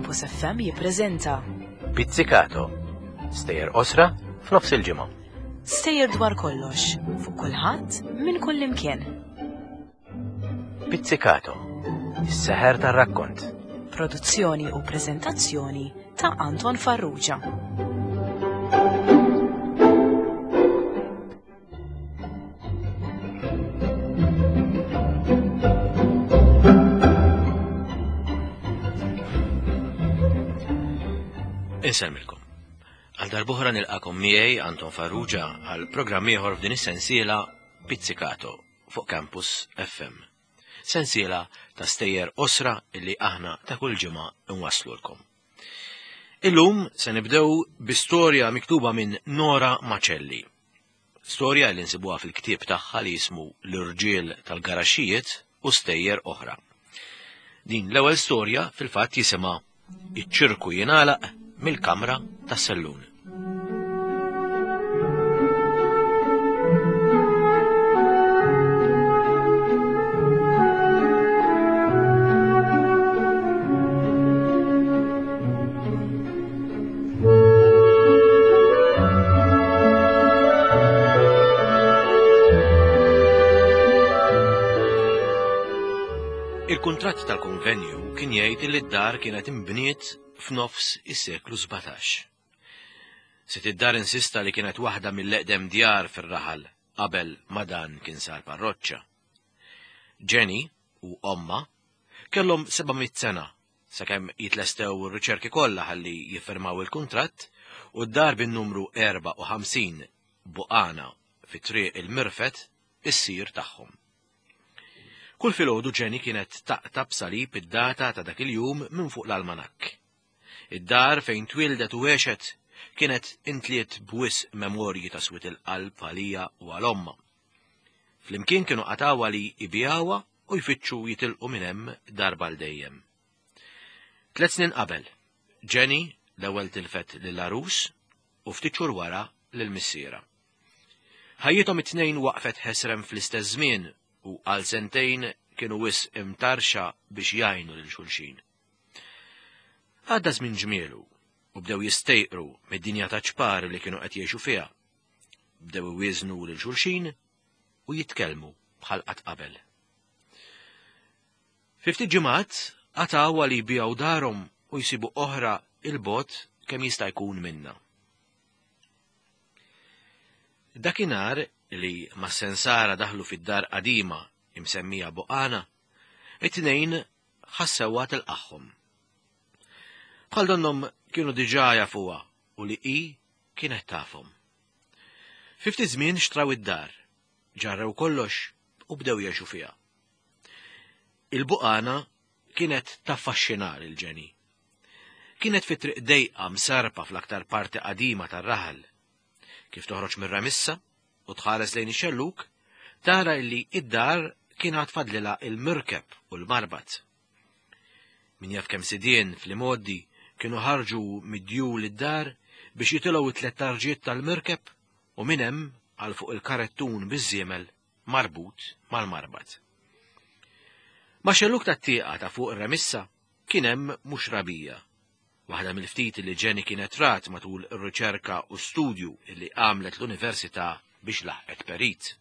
Campus FM jippreżenta Pizzicato. Stejjer qosra f'nofs il-ġimgħa. Stejjer dwar kollox, fuq kulħadd, minn kull imkien. Pizzicato. Is-seħer tar-rakkont. Produzzjoni u preżentazzjoni ta' Anton Farrugia. Insellmilkom. Għal darbohra nilqakom miegħi Anton Farrugia għal programm ieħor f'din is-sensiela Pizzicato fuq Campus FM. Sensiela ta' stejjer osra illi aħna ta' kull ġimgħa nwaslulkom. Illum se nibdew bi storja miktuba minn Nora Macelli. Storja li nsibuha fil-ktieb tagħha li jismu L-Irġiel tal-Garaxxijiet u Stejjer Oħra. Din l-ewwel storja fil-fatt jisimha Iċ-ċirku jingħalaq mill-kamra tas-sellun. Il-kuntratt tal-konvenju kien jgħid li d-dar kienet imbniet f'nofs is-seklu 17. Sid id-dar insista li kienet waħda mill-eqdem djar fir-raħal qabel ma dan kien sar parroċċa. Jenny u ommha kellhom 700 sena sakemm jitlestew ir-riċerki kollha ħalli jiffirmaw il-kuntratt u d-dar bin-numru 54 Buqana fi Triq il-Mirfet issir tagħhom. Kull filgħodu Jenny kienet taqta' b'salib id-data ta' dak il-jum minn fuq l-almanakk. Id-dar fejn twieldet u għexet kienet intliet b'wisq memorji ta' swied il-qalb għalija u għal ommha. Flimkien kienu qatgħuha li jbigħuha u jfittxu jitilqu minn hemm darba għal dejjem. Tlet snin qabel, Jenny l-ewwel tilfet lill-għarus u ftit xhur wara lil missierha. Ħajjithom it-tnejn waqfet ħesrem fl-istess żmien u għal sentejn kienu wisq imtarrxa biex jgħinu lil xulxin. Għadda żmien ġmielu u bdew jistejqru mid-dinja ta' ċpar li kienu qed jgħixu fiha. Bdew iwieżnu lil xulxin u jitkellmu bħal qatt qabel. Fi ftit ġimgħat qatgħu għal jbigħu darhom u jsibu oħra 'il bogħod kemm jista' jkun minnha. Dakinhar li mas-sensara daħlu fid-dar qadima imsemmija Buqana, it-tnejn ħassewha tilqagħhom. Bħal donnhom kienu diġà jafuha u li hi kienet tafhom. Fi ftit żmien xtraw id-dar, ġarrew kollox u bdew jgħixu fiha. Il-buqana kienet taffaxxina lil Jenny. Kienet fi triq dejqa msarpa fl-aktar parti qadima tar-raħal. Kif toħroġ mir-remissa u tħares lejn ix-xellug, tara illi id-dar kien għad fadlilha il-mirkeb u l-marbat. Min jaf kemm sidien fl-imgħoddi kienu ħarġu mid-djul id-dar biex jitilgħu it-tlet tarġiet tal-mirkeb u minn hemm għal fuq il-karettun biż-żiemel marbut mal-marbat. Ma' xellug tat-tieqa ta' fuq ir-remissa kien hemm mhux rabija, waħda mill-ftit li Jenny kienet rat matul ir-riċerka u studju li għamlet l-università biex laħqet perit.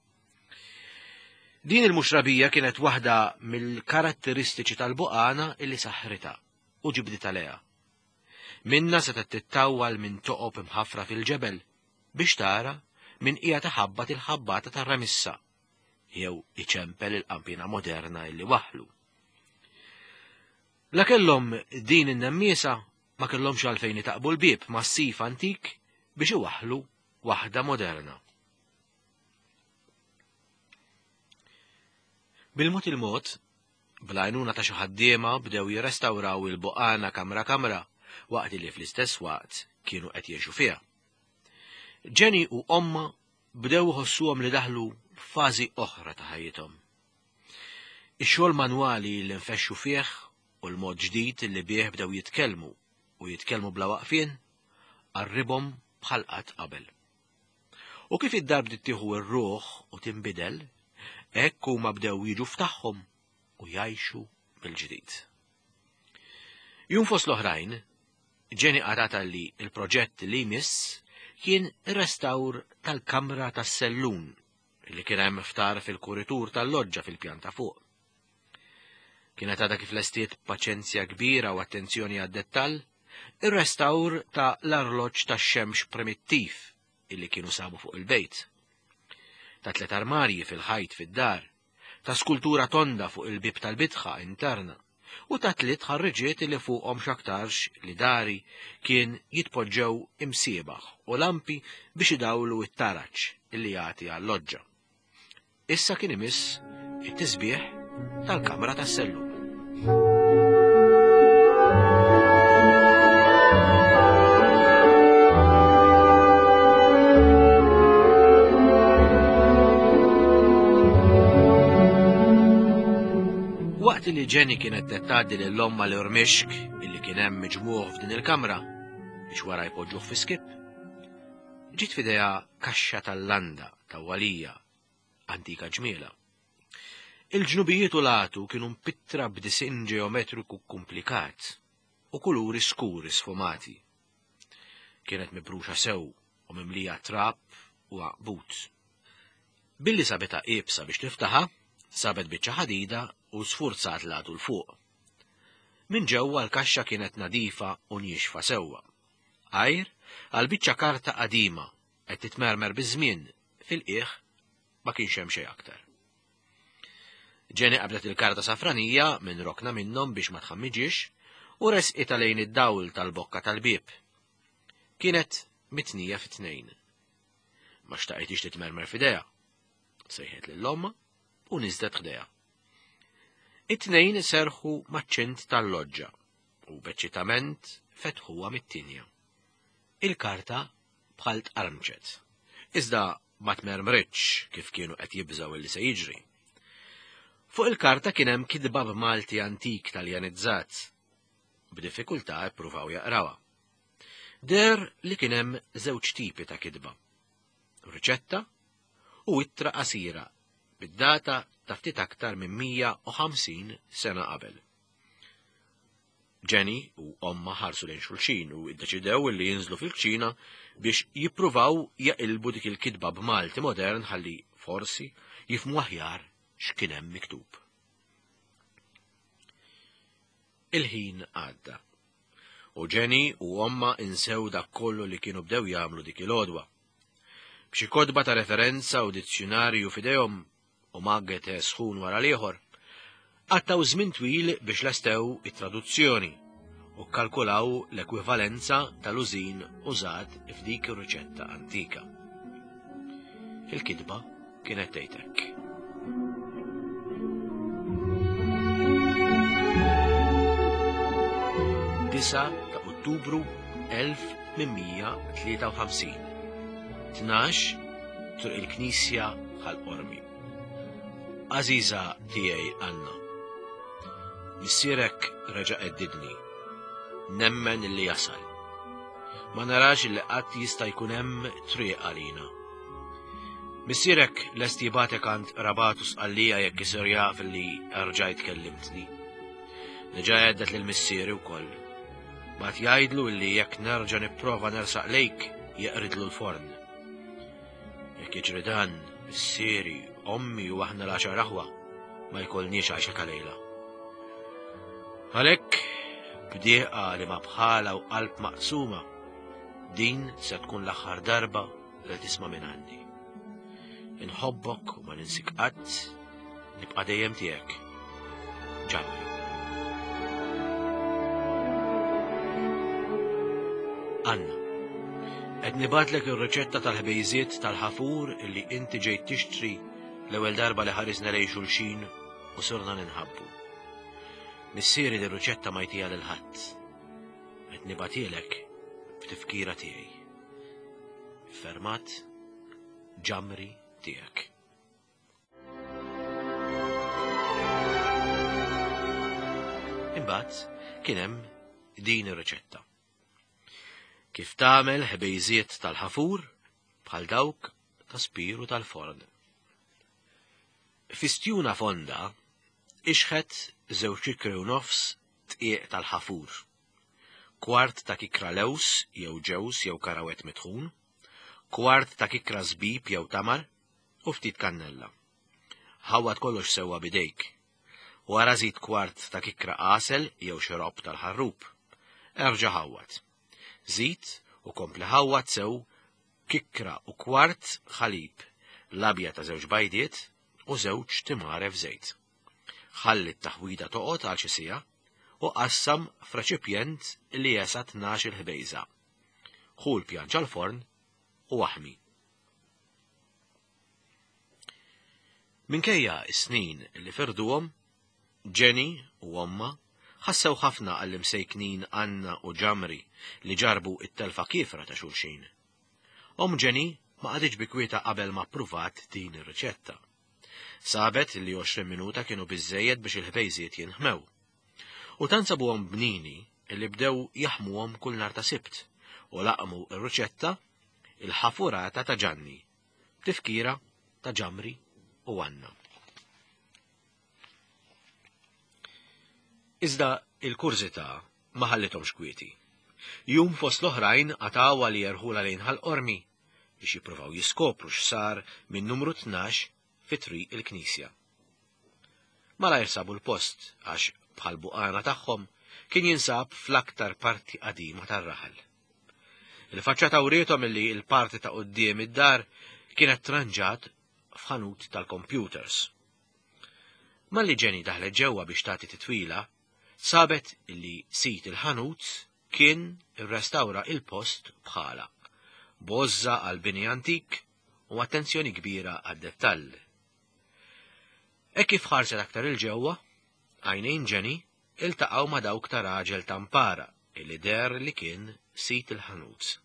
Din il-muxrabija kienet waħda mill-karatteristiċi tal-buqana illi saħħritha u ġibditha lejha. Minnha setgħet tittawwal minn toqob imħaffra fil-ġebel biex tara min qiegħed iħabbat il-ħabbata tar-remissa jew iċempel il-qanpiena moderna illi waħħlu. La kellhom din in-nemmiesa ma kellhomx għalfejn itaqbu l-bieb massiv antik biex iwaħħlu waħda moderna. Bil-mod il-mod, bl-għajnuna ta' xi ħaddiema bdew jirrestawraw il-buqana kamra kamra waqt li fl-istess waqt kienu qed jgħixu fiha. Jenny u ommha bdew iħossuhom li daħlu f'fażi oħra ta' ħajjithom. Ix-xogħol manwali li nfexxu fih u l-mod ġdid li bih bdew jitkellmu u jitkellmu bla waqfien qarribhom bħal qatt qabel. U kif id-dar bdiet tieħu r-ruħ u tinbidel, hekk huma bdew jiġu f'tagħhom u jgħixu mill-ġdid. Jum fost l-oħrajn, Jenny qarata li l-proġett li jmiss kien ir-restawr tal-kamra tas-sellun li kien hemm ftar fil-kuritur tal-loġġa fil-pjan ta' fuq. Kienet għadha kif lestiet b'paċenzja kbira u attenzjoni għad-dettall ir-restawr ta' l-arloġġ tax-xemx primittiv illi kienu sabu fuq il-bejt. Ta' tlet armarji fil-ħajt fid-dar, ta' skultura tonda fuq il-bieb tal-bitħa interna u ta' tliet ħarriġiet li fuqhom x'aktarx li dari kien jitpoġġew imsiebaħ u lampi biex idawlu t-taraġ illi jagħti għal-loġġa. Issa kien imiss it-tisbieħ tal-kamra tas-sellum. Waqt li Jenny kienet qed tgħaddi lil ommha l-irmixk illi kien hemm miġmugħ f'din il-kamra biex wara jpoġġuh fi skip, ġiet f'idejha kaxxa tal-landa tawwalija antika ġmiela. Il-ġnubijiet u l-għatu kienu mpittra b'disinn ġeometriku kkumplikat u kuluri skuri sfumati. Kienet mibruxa sew u mimlija trab u għaqbut. Billi sabitha iebsa biex tiftaħha, sabet biċċa ħadida u sfurzat l-għatu 'l fuq. Minn ġewwa l-kaxxa kienet nadifa u niexfa sewwa. Għajr għal biċċa karta qadima qed titmermer biż-żmien fil-qiegħ ma kienx hemm xejn aktar. Jenny qabdet il-karta safranija minn rokna minnhom biex ma tħammiġiex u resqitha lejn id-dawl tal-bokka tal-bieb. Kienet mitnija fi tnejn. Ma xtaqitix titmermer f'idejha. Sejħet lil ommha u niżlet ħdejha. It-tnejn serħu maċ-ċint tal-loġġa u b'eċċitament fetħuha mit-tinja. Il-karta bħal tqarmċet. Iżda ma tmermritx kif kienu qed jibżgħu illi se jiġri. Fuq il-karta kien hemm kitba b'Malti antik Taljanizzat. B'diffikultà ippruvaw jaqrawha. Deher li kien hemm żewġ tipi ta' kitba. Riċetta u ittra qasira bid-data ta' ftit aktar minn 150 sena qabel. Jenny u ommha ħarsu lejn xulxin u iddeċidew li jinżlu fil-kċina biex jippruvaw jaqilbu dik il-kitba b'Malti modern ħalli forsi jifhmu aħjar x'kien hemm miktub. Il-ħin għadda. U Jenny u ommha insew dak kollu li kienu bdew jagħmlu dik il-għodwa. B'xi kotba ta' referenza u dizzjunarju f'idejhom, u magge te sħun wara l-ieħor, qattgħu żmien twil biex lestew it-traduzzjoni u kkalkulaw l-ekwivalenza tal-użin użat f'dik ir-riċetta antika. Il-kitba kienet tgħid hekk. Disa ta' Ottubru 1853. 12 Triq il-Knisja Ħal Qormi. Għażiża tiegħi Anna. Missierek reġa' qeddidni. Nemmen li jasal. Ma narax li qatt jista' jkun hemm triq għalina. Missierek lest jibgħatek għand qrabatu Sqallija jekk isir jaf li rġajt kellimtni. Diġà għeddet lil missieri wkoll. Bagħat jgħidlu li jekk nerġa' nipprova nersaq lejk jeqridlu l-forn. Jekk jiġri dan, missieri, ommi u aħna l-għaxar aħwa ma jkollniex għajxa ta' lejla. Għalhekk, b'dieqa li ma bħala u qalb maqsuma, din se tkun l-aħħar darba li tisma' minn għandi. Inħobbok u ma ninsik qatt, nibqa' dejjem tiegħek. Ġamri. Anna, qed nibatlek ir-riċetta tal-ħbejżiet tal-ħafur illi inti ġejt tixtri l-ewwel darba li ħarisna lejn xulxin u sirna ninħabbu. Missieri li riċetta ma jtija lil ħadd. Qed nibatilek b'tifkira tiegħi. Fermat ġamri tiegħek. Imbagħad kien hemm din ir-riċetta. Kif tagħmel ħbejżiet tal-ħafur bħal dawk ta' spiru tal-forn. Fi stjuna fonda, ixħet żewġ ikri u nofs tqiegħ tal-ħafur. Kwart ta' kikra lewż jew ġewż jew karawett mitħun, kwart ta' kikra żbib jew tamar u ftit kannella. Ħawwad kollox sewwa b'idejk. Wara żid kwart ta' kikra għasel jew xiropp tal-ħarrub. Erġa' ħawwad. Żid u kompli ħawwad sew kikra u kwart ħalib, l-abjad ta' żewġ bajdiet u żewġ timgħaref żejt. Ħalli t-taħwida toqgħod għal xi siegħa u qassam f'reċipjent li jesa' 12-il ħbejża. Ħu l-pjanċa l-forn u aħmi. Minkejja s-snin li firduhom, Jenny u ommha ħassew ħafna għall-imsejknin Anna u Ġamri li ġarrbu t-telfa kiefra ta' xulxin. Omm Jenny ma qagħditx bi kwietha qabel ma ppruvat din ir-riċetta. Sabet li 20 minuta kienu biżżejjed biex il-ħbejżiet jinħmew. U tant sabuhom bnini li bdew jaħmuhom kull nhar ta' Sibt u laqmu r-riċetta il-ħafurata ta' Ġanni, b'tifkira ta' Ġamri u Anna. Iżda il-kurżità ma ħallithomx kwieti. Jum fost l-oħrajn qatgħuha li jerħulha lejn Ħal Qormi biex jippruvaw jiskopru x'sar minn numru 12 fi Triq il-Knisja. Malajr sabu l-post għax bħall-buqana tagħhom kien jinsab fl-aktar parti qadima tar-raħal. Il-faċċata wriethom illi l-parti ta' quddiem id-dar kienet tranġat f'ħanut tal-kompjuters. Malli Jenny daħlet ġewwa biex tagħti titwila, sabet li sid il-ħanut kien irrestawra il-post bħala, b'għożża għall-bini antik u attenzjoni kbira għad-dettall. Hekk kif ħarset aktar 'il ġewwa, għajnejn Jenny iltaqgħu ma' dawk ta' raġel ta' mpara li deher li kien sid il-ħanut.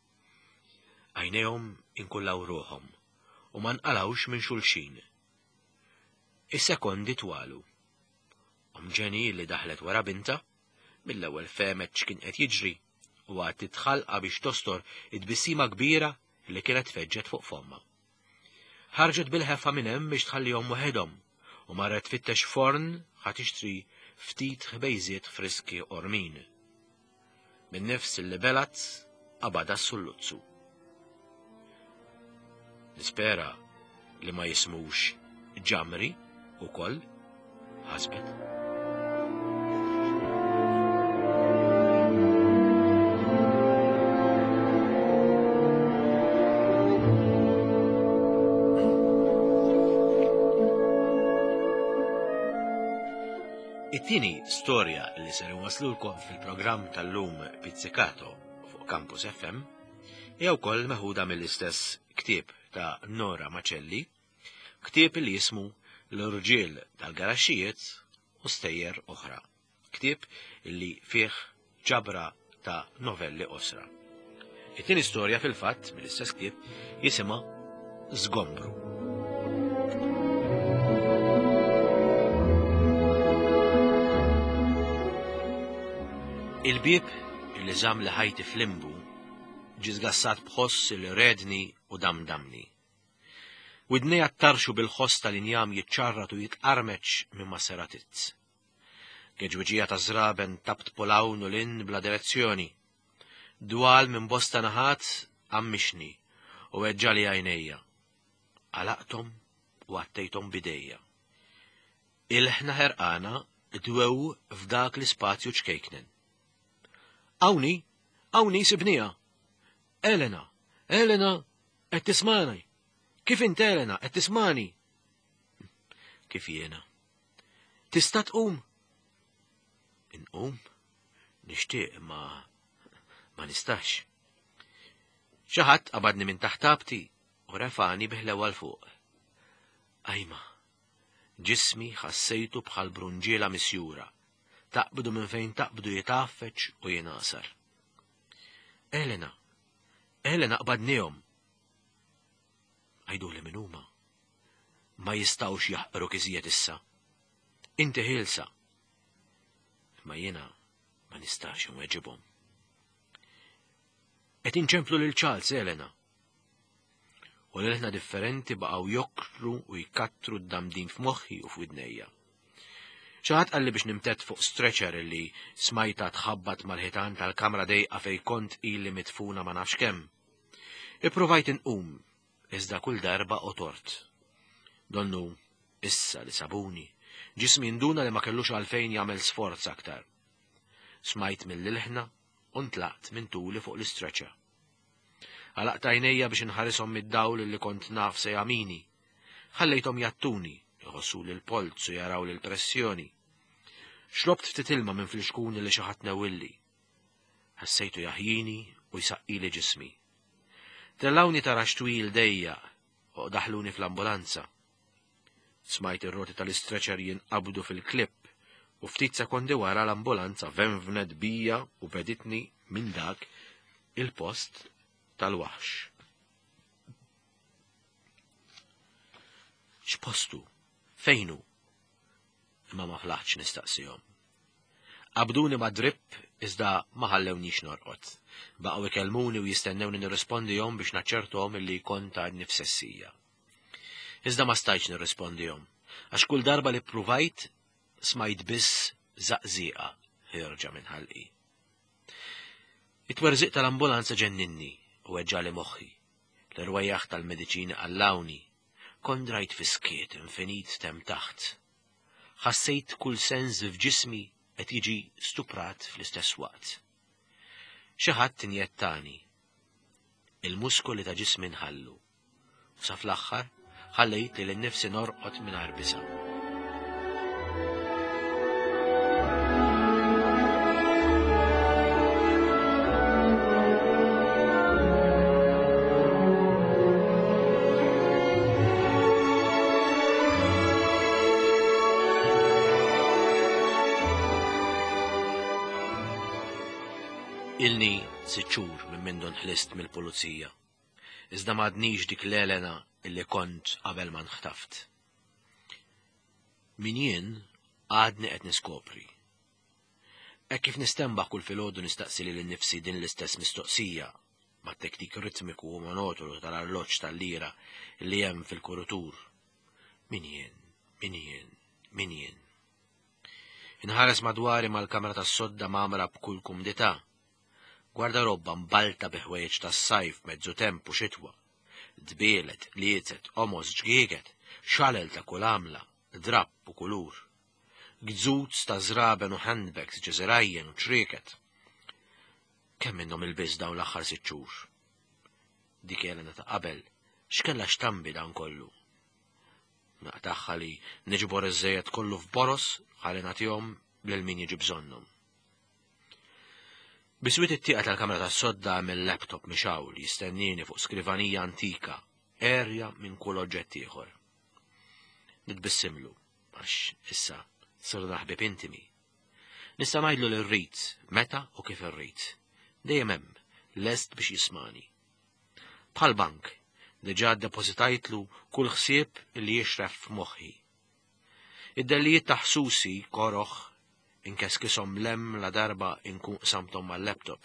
Għajnejhom inkullaw ruħhom u ma nqalgħux minn xulxin. Is-sekondi twalu. Omm Jenny li daħlet wara bintha, mill-ewwel fehmet x'kien qed jiġri u għattiet ħalqha biex tostor it-tbissima kbira li kienet feġġet fuq fommha. Ħarġet bil-ħeffa minn hemm biex tħallihom waħedhom u marret tfittex forn ħa tixtri ftit ħbejżiet friski qormin. Min-nifs li belgħet qabadha s-sulluzzu. Nispera li ma jismux ġamri ukoll, ħasbet. It-tieni storja li ser inwaslulkom fil-programm tal-lum Pizzicato fuq Campus FM hija wkoll meħuda mill-istess ktieb ta' Nora Macelli, ktieb li jismu L-Irġiel tal-Garaxxijiet u Stejjer Oħra. Ktieb li fih ġabra ta' novelli qosra. It-tieni storja fil-fatt mill-istess ktieb jisimha Żgombru. Il-bieb li żamm li ħajti f'limbu ġie żgassat b'ħoss li redni u damdamni. Widnejja ttarxu bil-ħoss tal-injam jiċċarrat u jitqarmeċ minn ma' seratizz. Geġwiġija ta' żraben taptpu 'l hawn u 'l hinn bla direzzjoni. Dwal minn bosta naħat għammixni u weġġagħli għajnejja. Għalaqthom u għattejthom b'idejja. Ilħna ħerqana dwew f'dak l-ispazju ċkejknen. Hawn hi! Hawn hi sibniha! Elena! Elena! Qed tismagħni? Kif int Elena? Qed tismagħni? Kif jiena? Tista' tqum? Inqum? Nixtieq ma ma nistax. Xi ħadd qabadni minn taħt abti u refani biħlewa l fuq. Ajma, ġismi ħassejtu bħal brunġiela misjura, taqbdu minn fejn taqbdu jitgħaffeġ u jingħasar. Elena, Elena qbadnihom. Għiduli min huma. Ma jistgħux jaħqruk iżjed issa. Inti ħielsa. Imma jiena ma nistax inweġibhom. Qed inċemplu lil Charles Elena. U l-ilħna differenti baqgħu jokru u jkattru d-damdin f'moħħi u f'widnejja. Xi ħadd qalli biex nimtedd fuq stretcher illi smajtha tħabbat mal-ħitan tal-kamra dejqa fejn kont ili midfuna ma nafx kemm. Ippruvajt inqum, iżda kull darba otort. Donnu issa li sabuni, ġismi nduna li ma kellux għalfejn jagħmel sforz aktar. Smajt mill-ilħna u ntlaqt minn tuli fuq l-istretcher. Għalaqt għajnejja biex inħarishom mid-dawl li kont naf se jagħmini. Ħallejthom jattuni, iħossuli l-polz u jarawli l-pressjoni. Xrobt ftit ilma minn flixkun li xi ħadd newwilli. Ħassejtu jaħjini u jsaqqili ġismi. Tellgħuni taraġ twil dejjaq u daħluni fl-ambulanza. Smajt ir-roti tal-istretcher jinqabdu fil-klipp u ftit sekondi wara l-ambulanza venvnet bija u beditni minn dak il-post tal-waħx. X'postu? Fejnu? Imma ma flaħtx nistaqsihom. Qabduni ma' dripp iżda ma ħallewniex norqod. Baqgħu ikellmuni u jistennewni nirrispondihom biex naċċertahom illi kont għadni f'sessija. Iżda ma stajtx nirrispondihom, għax kull darba li ppruvajt smajt biss żaqżieqa ħierġa minn ħalqi. It-twerżiq tal-ambulanza ġenninni u weġġagħli moħħi. L-irwejjaħ tal-mediċini qallgħuni. Kont drajt fi skiet infinit t'hemm taħt. Ħassejt kull sens f'ġismi qed jiġi stuprat fl-istess waqt. Xi ħadd injettani. Il-muskoli ta' ġismi nħallu. U sa fl-aħħar ħallejt lili nnifsi norqod mingħajr biża'. Ilni sitt xhur minn mindu nħlist mill-pulizija. Iżda m'għadnix dik l-Elena illi kont qabel ma nħtaft. Min jien għadni qed niskopri. Hekk kif nistenbaħ kull filgħodu nistaqsi lili nnifsi din l-istess mistoqsija mat-tektik ritmiku u monotonu tal-arloġġ tal-lira li hemm fil-kurutur. Min jien? Min jien? Min jien? Inħares madwari mal-kamra tas-sodda mgħammra b'kull kumdità. Gwardarobba mbalta bi ħwejjeġ tas-sajf, mezzu temp u xitwa. Dbielet, qliezet, qomos, ġgieget, xalel ta' kull għamla, drapp u kulur. Gzuz ta' żraben u handbags, ġeżirajjen u ċrieket. Kemm minnhom ilbist dawn l-aħħar sitt xhur? Dik Elena ta' qabel, x'kellha x'tambi dan kollu? Naqtagħha li niġbor iż-żejjed kollu f'boros ħalli nagħtihom lil min jiġi bżonnhom. Biswit it-tieqa tal-kamra tas-sodda hemm il-laptop mixgħul jistennieni fuq skrivanija antika, għerja minn kull oġġett ieħor. Nitbissimlu, għax issa sirna ħbieb intimi. Nista' ngħidlu li rrid, meta u kif irrid. Dejjem hemm, lest biex jismani. Bħal bank, diġà ddepożitajtlu kull ħsieb li jixref f'moħħi. Id-dellijiet ta' ħsusi koroh inkeskishom 'l hemm ladarba inkun qsamthom mal-laptop.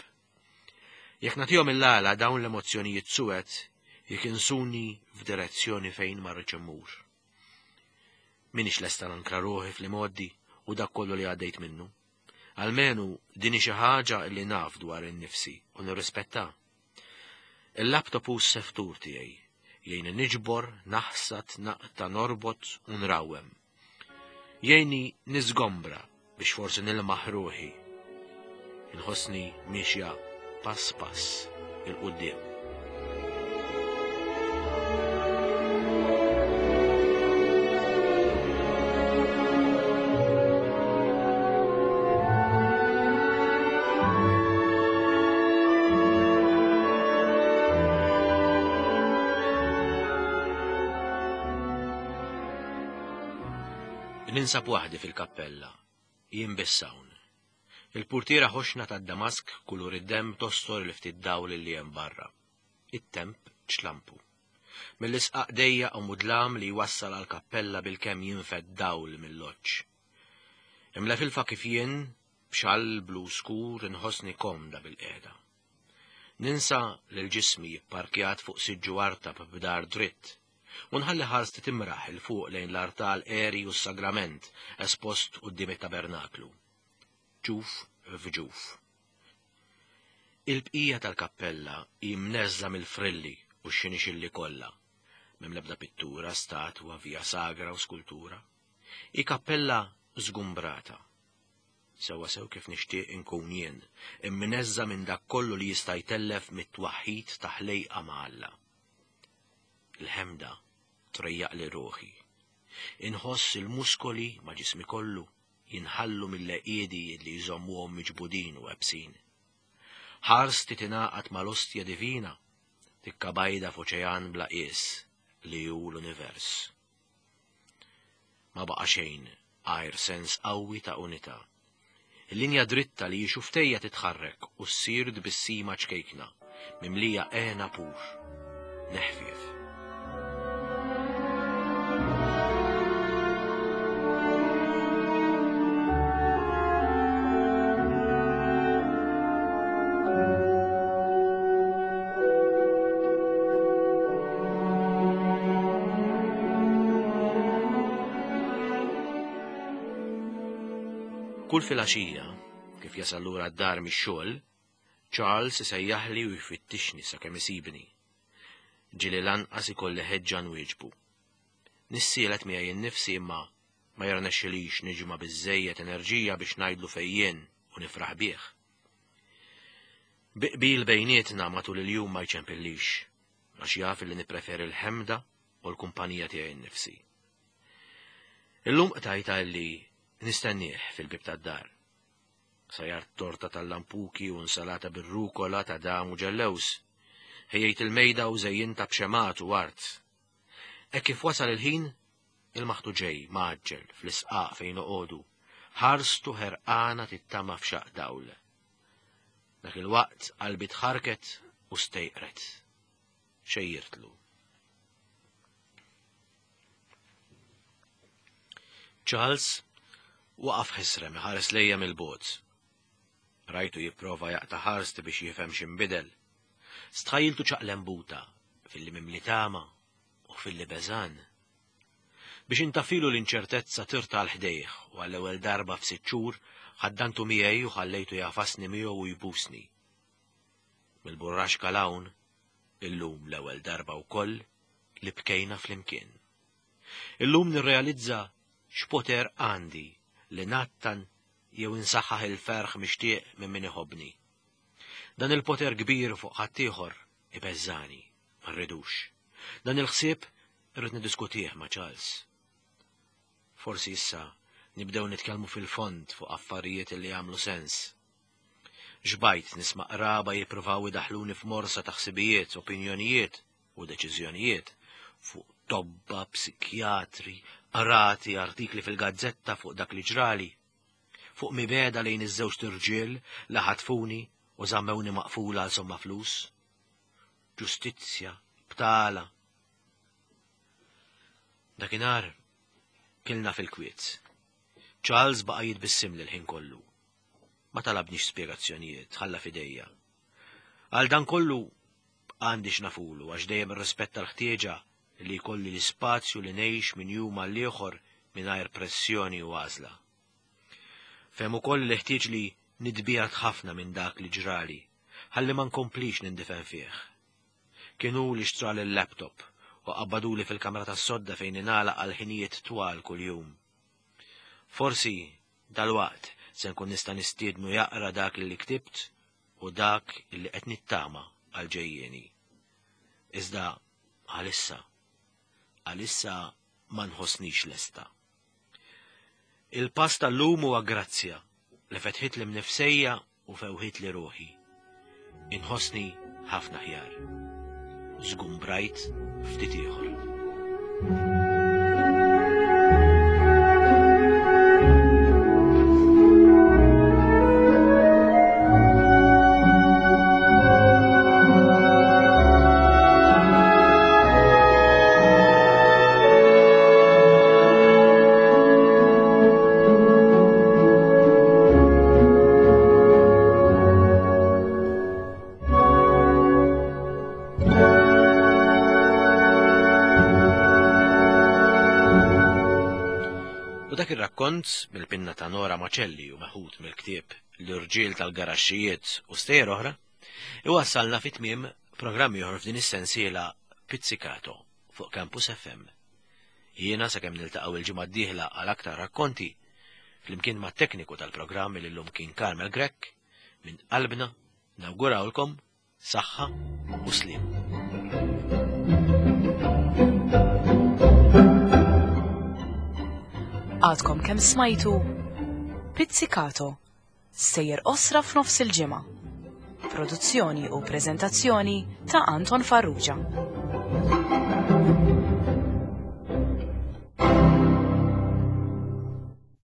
Jekk nagħtihom il-għala dawn l-emozzjonijiet suwed jikinsuni f'direzzjoni fejn ma rridx immur. M'iniex lesta nankra ruħi fl-imgħoddi u dak kollu li għaddejt minnu. Almenu din hi xi ħaġa li naf dwar innifsi u nirrispetta. Il-laptop hu s-seftur tiegħi. Jgħinni niġbor, naħsad, naqta', norbot u nrawwem. Jgħinni niżgombra biex forsi nilmaħ ruħi. Inħossni miexja pass pass 'il quddiem. Ninsab waħdi fil-kappella, jien biss hawn. Il-purtiera ħoxna tad-damask kulur id-demm tostor il-ftit dawl li hemm barra. It-temp ċlampu. Mill-isqaq dejjaq u mudlam li jwassal għall-kappella bilkemm jinfed dawl mill-loġġ. Imlefilfa kif jien, b'xall blu skur inħossni komda bilqiegħda. Ninsa lil ġismi pparkjat fuq siġġu artab b'dahar dritt. U nħalli ħarsti timraħ 'il fuq lejn l-artal għeri u s-sagrament espost quddiem it-tabernaklu. Ġuf f'ġuf. Il-bqija tal-kappella hi mneżża' mill-frilli u x-xinixilli kollha. M'hemm l-ebda pittura, statwa, via sagra u skultura. Hi kappella żgumbrata. Sewwasew kif nixtieq inkun jien, imneżża' minn dak kollu li jista' jtellef mit-twaħħid ta' ħlejqa ma' Alla. Il-ħemda trejjaqli ruħi. Inħoss il-muskoli ma' ġismi kollu jinħallu mill-għeqiedi li jżommuhom miġbudin u ebsin. Ħarsti tingħaqad mal-Ostja Divina, tikka bajda f'oċean bla qies li hu l-univers. Ma baqa' xejn għajr sens qawwi ta' unità. Il-linja dritta li hi xuftejja titħarrek u ssir tbissima ċkejkna, mimlija hena pur. Neħfief. Kull filgħaxija, kif jasal lura d-dar mix-xogħol, Charles isejjaħli u jfittixni sakemm isibni. Ġieli lanqas ikolli ħeġġa nwieġbu. Nissielet miegħi nnifsi imma ma jirnexxilix niġma' biżżejjed enerġija biex ngħidlu fejn jien u nifraħ bih. Bi qbil bejnietna matul il-jum ma jċempillix, għax jaf li nippreferi l-ħemda u l-kumpanija tiegħi nnifsi. Illum qtajtha illi nistennieh fil-bieb tad-dar. Sajart torta tal-lampuki u nsalata bir-rukola ta' dam u ġellews. Ħejjejt il-mejda u żejjintha b'xemgħat u ward. Hekk kif wasal il-ħin, il-maħtu ġej mgħaġġel fl-isqaq fejn noqogħdu, ħarstu ħerqana tittama f'xaqq dawl. Dak il-waqt qalbi tħarrket u stejqret. Xejjirtlu. Charles waqaf ħesrem iħares lejja mill-bogħod. Rajtu jipprova jaqta' ħarsti biex jifhem x'inbidel. Stħajjiltu ċaqlembuta filli mimli tama u filli beżgħan. Biex intaffilu l-inċertezza tirt għal ħdejh u għall-ewwel darba f'sitt xhur ħaddantu miegħi u ħallejtu jagħfasni miegħu u jbusni. Mill-burraxka 'l hawn, illum l-ewwel darba wkoll li bkejna flimkien. Illum nirrealizza x'poter għandi li ngħattan jew insaħħaħ il-ferħ mixtieq minn min iħobbni. Dan il-poter kbir fuq ħaddieħor ibeżżagħni, ma rridux. Dan il-ħsieb Irrid niddiskutih ma' Charles. Forsi issa nibdew nitkellmu fil-fond fuq affarijiet li jagħmlu sens. Xbajt nisma' qraba jippruvaw idaħħluni f'morsa ta' ħsibijiet, opinjonijiet u deċiżjonijiet fuq tobba, psikjatri, qrati, artikli fil-gazzetta fuq dak li ġrali, fuq mibegħda lejn iż-żewġt irġiel li ħatfuni u żammewni maqfula għal somma flus. Ġustizzja, btala, Dakinhar kilna fil-kwiet. Charles baqa' jitbissimli l-ħin kollu. Ma talabnix spjegazzjonijiet, ħalla f'idejja. Għal dan kollu għandi x'nafulu għax dejjem irrispetta l-ħtieġa li jkolli l-ispazju li ngħix minn jum għal ieħor mingħajr pressjoni u għażla. Fehem ukoll li ħtieġ li nitbiegħed ħafna minn dak li ġrali ħalli ma nkomplix nindifen fih. Kien hu li xtrali l-laptop u qabbaduli fil-kamra tas-sodda fejn ningħalaq għal ħinijiet twal kuljum. Forsi, dalwaqt, se nkun nista' nistiednu jaqra dak li ktibt u dak li qed nittama għall-ġejjieni. Iżda għalissa, għalissa ma nħossnix lesta. Il-pass tal-lum huwa grazzja li fetħitli mnifsejja u fewħitli ruħi. Inħossni ħafna aħjar. Żgumbrajt ftit ieħor. U dak ir-rakkont mill-pinna ta' Nora Macelli u meħud mill-ktieb L-Irġiel tal-Garaxxijiet u Stejjer Oħra, iwassalna fi tmiem programm ieħor f'din is-sensiela Pizzicato fuq Campus FM. Jiena sakemm niltaqgħu il-ġimgħa d-dieħla għal aktar rakkonti, flimkien mat-tekniku tal-programm li llum kien Carmel Grech, minn qalbna nawgurawlkom saħħa u sliem. Għadkom kemm smajtu Pizzicato, sejjer osra f'nofs il-ġimgħa. Produzzjoni u preżentazzjoni ta' Anton Farrugia.